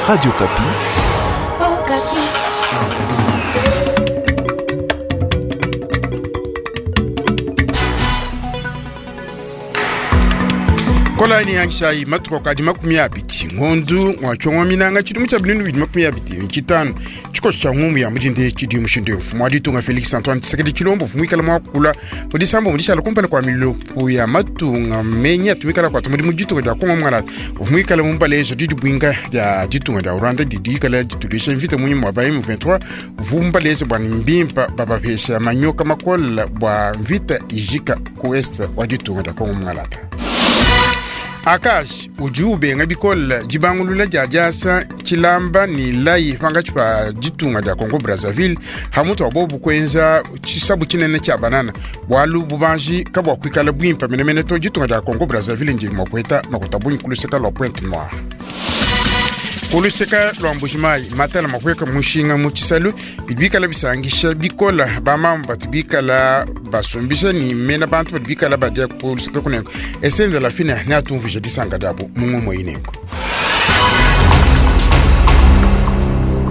Radio Okapi. Okapi. Kolani yangishayi matuku akadi 20 ngondu ngwa minanga tshidimu tshia 2025 tshikoso tshia ngumbu ya mudinde tshidi mushindu mfumu wa ditunga Felix Antoine Tshisekedi Tshilombo mfumu mwakula mudisambo mudishala kumpala kwa milopo ya matunga menyi atumikala kwata mudimu ditunga dia Kongo mwangalata uvumuikala mumbalezo didi bwinga dia ditunga dia Rwanda didi ikala ditulisha mvita munyuma wa ba M23 vumbalezo bwa mbimpa babapesha manyoka makola bwa mvita ijika ku est wa ditunga dia Kongo mwangalata. Akash udi ubenga bikola dibangulula dia diasa tshilamba ni layi pangatshi pa ditunga dia Congo Brazzaville hamutu wa bobu kuenza tshisabu tshinene tshia banana bwalu bubanji kabua kuikala bwimpa menemene to ditunga dia Congo Brazzaville ndi mua kueta makuta bungi kuluseka lua Pointe Noire. Kuluseka lua Mbujimayi matala makueka mushinga mu tshisalu bidi bikala bisangisha bikola bamama batu bikala basumbisha ni mena bantu badi bikala badia kuluseka kuneko esende la fina ne atumvuija disanga diabu mu ngumu ineko.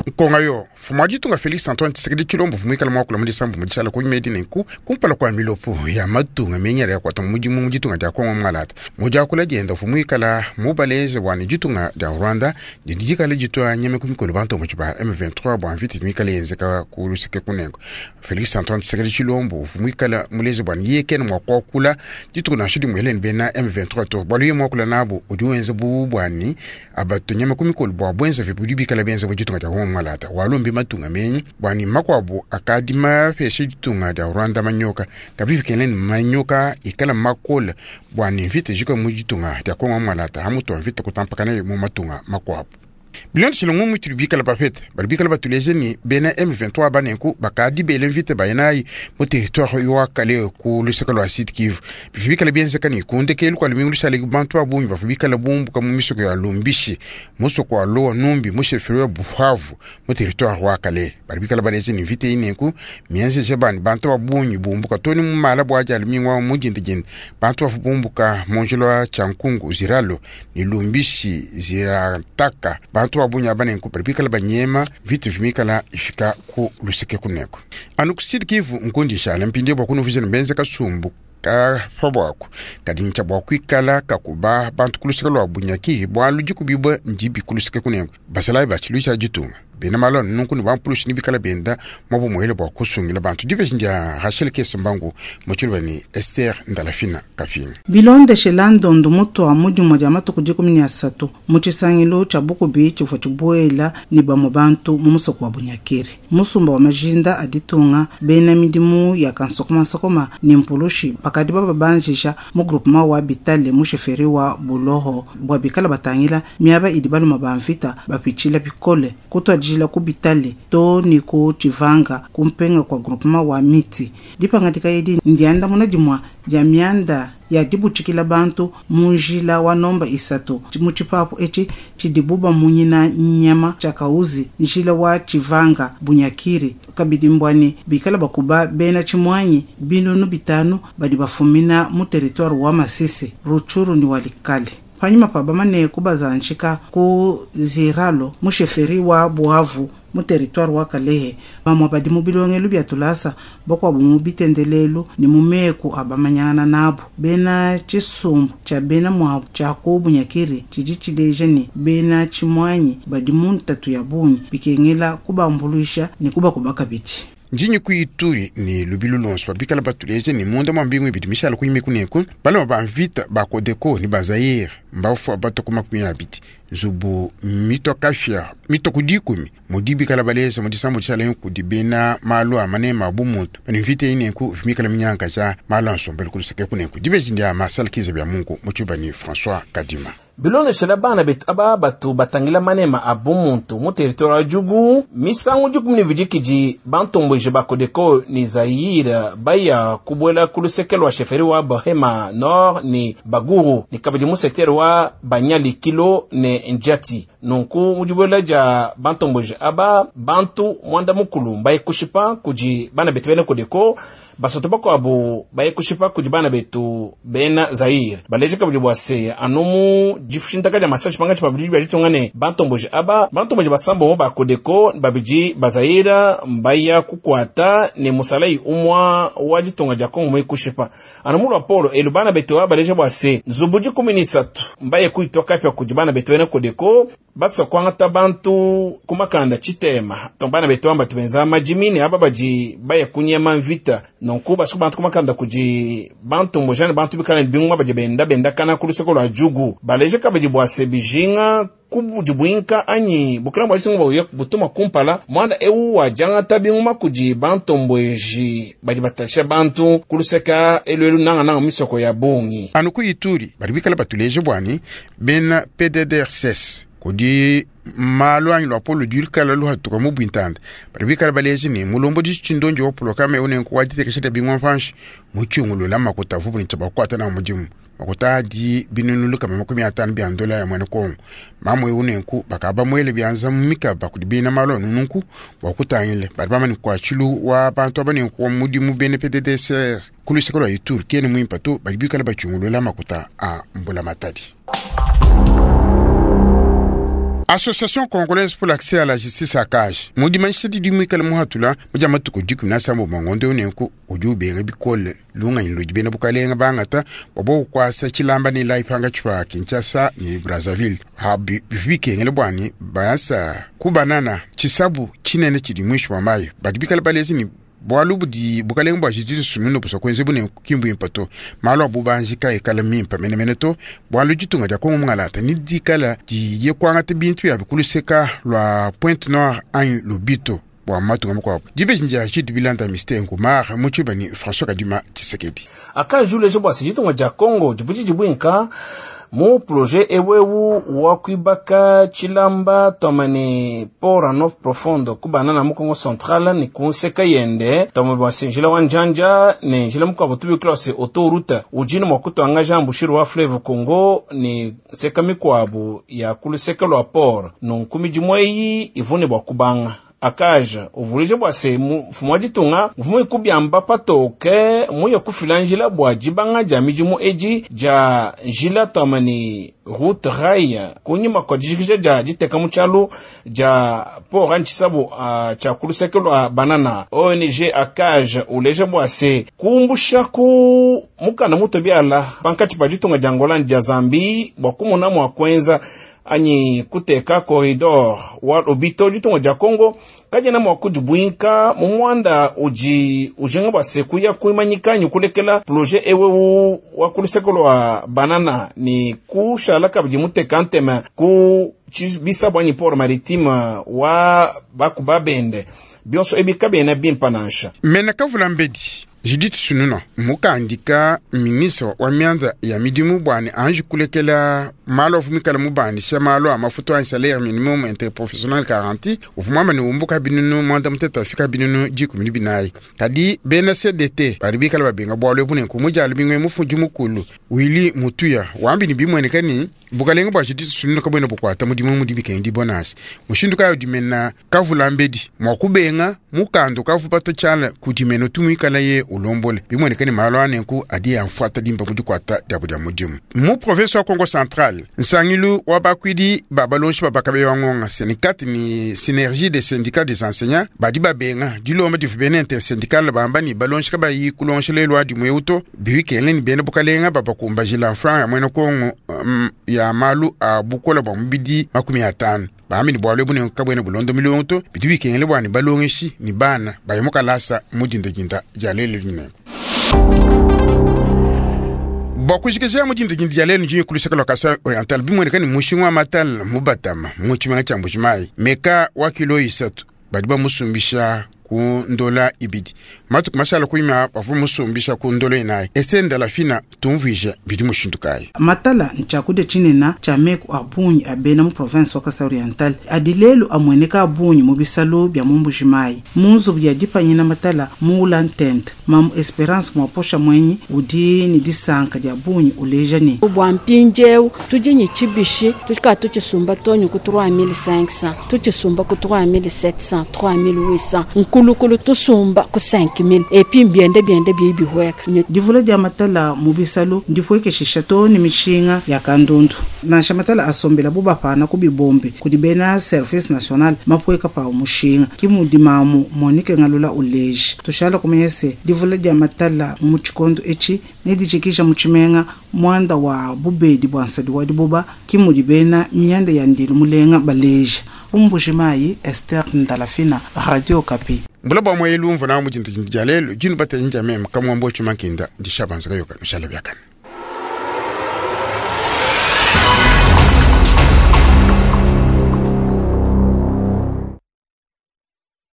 Nkonga yo mfumu wa ditunga Felix Antoine Tshisekedi Tshilombo vumuikala muakula mu disambu mu dishala kunyima edi nenku kumpala kua milopo ya matunga menyela ya kuata mudimu mu ditunga dia Kongo mwangalata mudiakula dienda vumuikala mubaleze bua ditunga dia Rwanda didi dikala ditua nyama ku mikolo bantomboki ba M23 bua mvita mikala yenzeka ku luseke kunengo. Felix Antoine Tshisekedi Tshilombo vumuikala muleze bua yeye kena mua kuakula dituku nansha dimue eleni bena M23 to bualu ye muakula nabo udi wenza bu buani abatu nyama ku mikolo bua buenza budi bikala benza mu ditunga dia Kongo mwangalata walombi matunga menyi bwani makuabu akadi mapesha ditunga dia Rwanda manyoka kabifikele ni manyoka ikala makola bwani mvita jika mu ditunga dia Kongo mwangalata hamutu wa mvita kutampakana mu matunga makuabu. Bilondeshile ngumu tuli bikala bapete bali bikala batuleze ni bena M23 banenku bakadi bele mvita bayinayi mu territoire wa kale ku luseka lua Sud Kivu bivi bikala bienzeka ni kundekelu kua lumingu lusale bantu ba bungi bavu bikala bumbuka mu misoko ya Lumbishi musoko wa Loa Numbi mu chefferie ya Buhavu mu territoire wa kale bali bikala baleze ni mvita inenku mienzeje bani bantu ba bungi bumbuka toni mu mala bua dia lumingu wa mudindidindi bantu bavu bumbuka mu njila wa Tshankungu Ziralo ni Lumbishi Zirataka bantu ba bungi aba nenku badi bikala banyema vita vimikala ifika ku luseke kuneko anu ku Sud Kivu nkundi shala mpindi bua kunuvizana mbenze kasumbu ka pabwaku kadi ntshia bua kuikala kakuba bantu kuluseke lua bunyaki bualu dikubibua ndibi kuluseke kuneko basalayi ba tshiluisha ditunga bena malone nunku ni bampulushi ni bikala benda mwabu muhele bua kusungila bantu dipeshi ndia Rachel Kesembangu mutshiluba ni Esther Ndalafina Kafinga. Bilondeshela ndondo mutua mudimu dia matuku 13 mu tshisangilu tshia bukubi tshivua tshibuela ni bamue bantu mu musoko wa Bunyakiri musumba wa majinda a ditunga bena midimu ya kansokomasokoma ni mpulushi bakadi bababanjisha mu groupement wa Bitale mu chefferie wa Buloho bua bikala batangila miaba idi baluma ba mvita bapitshila bikole kutuadijila ku Bitale to ni ku Tshivanga kumpenga kwa groupement wa miti dipangadika edi ndiandamuna dimua dia mianda ya dibutshikila bantu mu njila wa nomba 3 mu tshipapu etshi tshidibu bamunyina nyama tshia kauzi njila wa Tshivanga Bunyakiri kabidi mbwani bikala bakuba bena tshimwanyi binunu 5 badi bafumina mu territoire wa Masisi Rutshuru ni Walikale panyima pa bamane kubazanjika ku Ziralo mu chefferie wa Buhavu mu territoire wa Kalehe bamwe badi mu bilongelu bia tulasa bakuabu mu bitendelelu ni mu meku abamanyangana nabo bena tshisumbu tshia bena muabu tshia ku Bunyakiri tshidi tshileja ni bena tshimwanyi badi mu ntatu ya bungi bikengela kubambuluisha ni kubakuba kabidi. Njinyi kuituri ni lubilu lonso bikala batuleje ni munda mwa mbingu ibidi mishala kunyime kuneku baloma ba mvita ba Kodeko ni ba Zaire mbafu bato ku 20 nzubu mito kafya mito kudikumi mudi bikala baleza mudisambu tshala kudi bena malu a manema bu muntu bani mvita ineku vimikala minyanka ja malu a nsombelu kuluseke kuneku dibeji ndia masala kiza bya mungu mutshuba ni François Kadima. Bilondeshela bana betu aba batu batangila manema a bumuntu mu territoire wa Djugu misangu 12 kidi bantomboji ba Kodeko ni Zaire baya kubuela ku luseke lua chefferie wa Bahema Nord ni Baguru ni kabidi mu secteur wa Banyalikilo ne Njati nunku mu dibuela dia bantomboji aba bantu mwanda mukulu mbaye kushipa kudi bana betu bena Kodeko. Basatu bakuabu baye kushipa kudi bana betu bena Zaire. Baleje kabidi bua se anu mu dishintaka dia masashi pangatshi pa bidi bia ditunga ne bantomboji aba bantomboji basambombo ba Codeco babidi ba Zaire mbaya kukwata ne musalai umwa wa ditunga dia Kongo muye kushipa. Anu mu lwapolo elu bana betu aba baleje bua se nzubu 13 mbaye kuitwa kapya kudi bana betu bena Codeco basa kwangata bantu kumakanda chitema. Bana betu amba tubenza majimi ne aba badi baye kunyema mvita. Nonku basa bantu kumakanda kudi bantu mbojane bantu bikala bingwa badi benda benda kana kuluseko lwa jugu. Baleje kabidi bua se bijinga kubudibwinka anyi bukila bwa chitungu bwa butuma kumpala mwana ewu wa jangata binguma kudi bantu mbweji badi batasha bantu kuluseka elu nanga nanga misoko ya bongi. Anuku Ituri badi bikala batuleje bwani bena PDDRCS kudi malu anyi lwapolo dikala luhatuka mu bwintanda badi bikala baleje ne mulombo dishindonji wa pulokame unenku waditekesha bingwa mpanshi muchungulula makuta vubu ni chabakwata na mudimu makuta adi binunu kama 50 bya ndola ya mwene Kongo. Mamwe unenku bakaba mwele byanza mumikaba kudi bina malo nununku wakutangile badi bamani kwa chilu wa bantu abanenku wa mudimu bene PDDRCS kuluseko lwa Ituri kene mwimpa to badi bikala bachungulula makuta a mbula matadi. Association congolaise pour l'accès à la justice à cage. Mudimanshi di mwikala muhatula mujama tukudiku na sambo mangondo unenku ujube bikole lunga nludi bena bukalenga bangata babo kwasa chilamba ni laipanga chwa Kinshasa ni Brazzaville. Habi bikengele bwani bayasa kubanana chisabu chinene chidi mwisho wa mayi. Badibikala balezi ni bwalu budi bukalenga bwa justice sununo busa kwenze bune kimbu impato malo abubanji ka ekala mimpa menemene to bwalu jitunga dia Kongo mungalata ni dikala di yekwanga bintu ya bikuluseka lwa Pointe Noire an lobito bwa matunga mkwabo dibe jinja jidu bilanda mystère ngumar muchuba ni François Kadima Tshisekedi. Akajule jibwa sijitunga dia Kongo jibuji jibwinka mu projet ewewu wa kuibaka chilamba tomani pora no profondo kubana na mukongo central ni kunseka yende tomo bwa njila wa njanja ni njila mukabo tubi klase autoroute ujini mwa kutoanga jambu shiru wa fleuve Congo ni seka mikwabu ya kuluseka lwa port nunkumi jimweyi ivune bwa kubanga. Akaja uvulije bwa se mfumo wa ditunga mfumo ikubyamba patoke muya kufila njila bwa jibanga ja mijimu eji ja njila tomani route rail kunyima kwa dijikija ja diteka muchalu ja pora nchisabu cha kuluseke lwa banana. ONG akaja uleje bwa se kumbusha ku mukana muto byala pankati pa ditunga ja Angola ja Zambi bwa kumuna mwa kwenza anyi kuteka corridor wa lobito ditunga ja Kongo kajana mwa kujibwinka mu mwanda uji ujenga bwa sekuya kuimanyika nyi kulekela projet ewewu wa kuluseko lwa banana ni kushala kabidi muteka ntema ku bisa bwanyi port maritime wa bakuba bende bionso ebika bena bimpa nansha. Mena kavula mbedi Judith Suminwa mukandika ministre wa mianda ya midimu bwani anji kulekela malo avumikala mubandisha malo a mafuta a salaire minimum interprofessionnel garanti uvumwamba ni umbuka binunu mwanda muteta afika binunu 14. Kadi bena CDT bari bikala babenga bwalo ebune kumujalo bingwe mufundi mukulu Willy Mutuya wambi ni bimweneka ni bukalenga bwa Judith Suminwa kabwena bukwata mudimu mudibikendi bonasi mushindu kayo dimena kavula mbedi mwakubenga mukando kavupato chala kudimeno tumwikala ye ulombole bimweneka ni malo anenku adi yamfuata dimba mudikwata diabo dia mudimu mu province wa Congo Central nsangilu wa bakwidi babalonshi babakabe wangonga syndicat ni synergie des syndicats des enseignants badi babenga dilomba divu bene intersyndical bamba ni balonshi kabayi kulonshela dimwe uto biwikele ni bene bukalenga babakumbajila franc ya mwene Kongo ya malu a bukola bwa mubidi 50 bambi ni bwalo bune kabwene bulondo milongo bidi bikengele bwani balongeshi ni bana bayomukalasa mudindajinda jalele nyine. Bokujikizia mudindajinda jalele njinyi kulusaka lwa Kasai Oriental bimweneka ni mushingwa matal mubatama muchimanga cha Mbujimayi meka wa kilo 3 badi bamusumbisha ku ndola ibidi matuku mashala kuima bavu musumbisha ku ndola inayi esenda la fina tumvije bidi mushindukayi matala nchakude chinena cha meku abunyi abena mu province wa Kasai Oriental adilelu amweneka abunyi mu bisalo bya mu Mbujimayi munzu bya dipanyina matala muula ntente mamu Esperance mwaposha mwenyi udi ni disanka dia bunyi uleja ni bwa mpinjewu tujinyi chibishi tuka tuchisumba tonyu ku 3500 tuchisumba ku 3700 3800. Kulukulu tusumba ku 5000 epi mbiende biende biyi bihueka. Divula dia matala mu bisalu ndipuekeshisha too ne mishinga ya kandundu. Nansha matala asombela bu bapana ku bibombi kudi bena Service National mapueka pawu mushinga, ke mudi mamu Monique Ngalula uleja. Tushala kumanya se, divula dia matala mu tshikondo etshi nedijikija mu tshimenga muanda wa bubedi bua nsadi wa dibuba, ke mudi bena mianda ya ndilu mulenga baleja. Ku Mbuji-Mayi, Esther Ndalafina, Radio Okapi. Mbula bua muelu mvua nawu mu dindadinda dia lelu, dinu batedi ndia meme Kamuambo Tshimankinda, ndi Shabanza Kayoka, nushala biakane.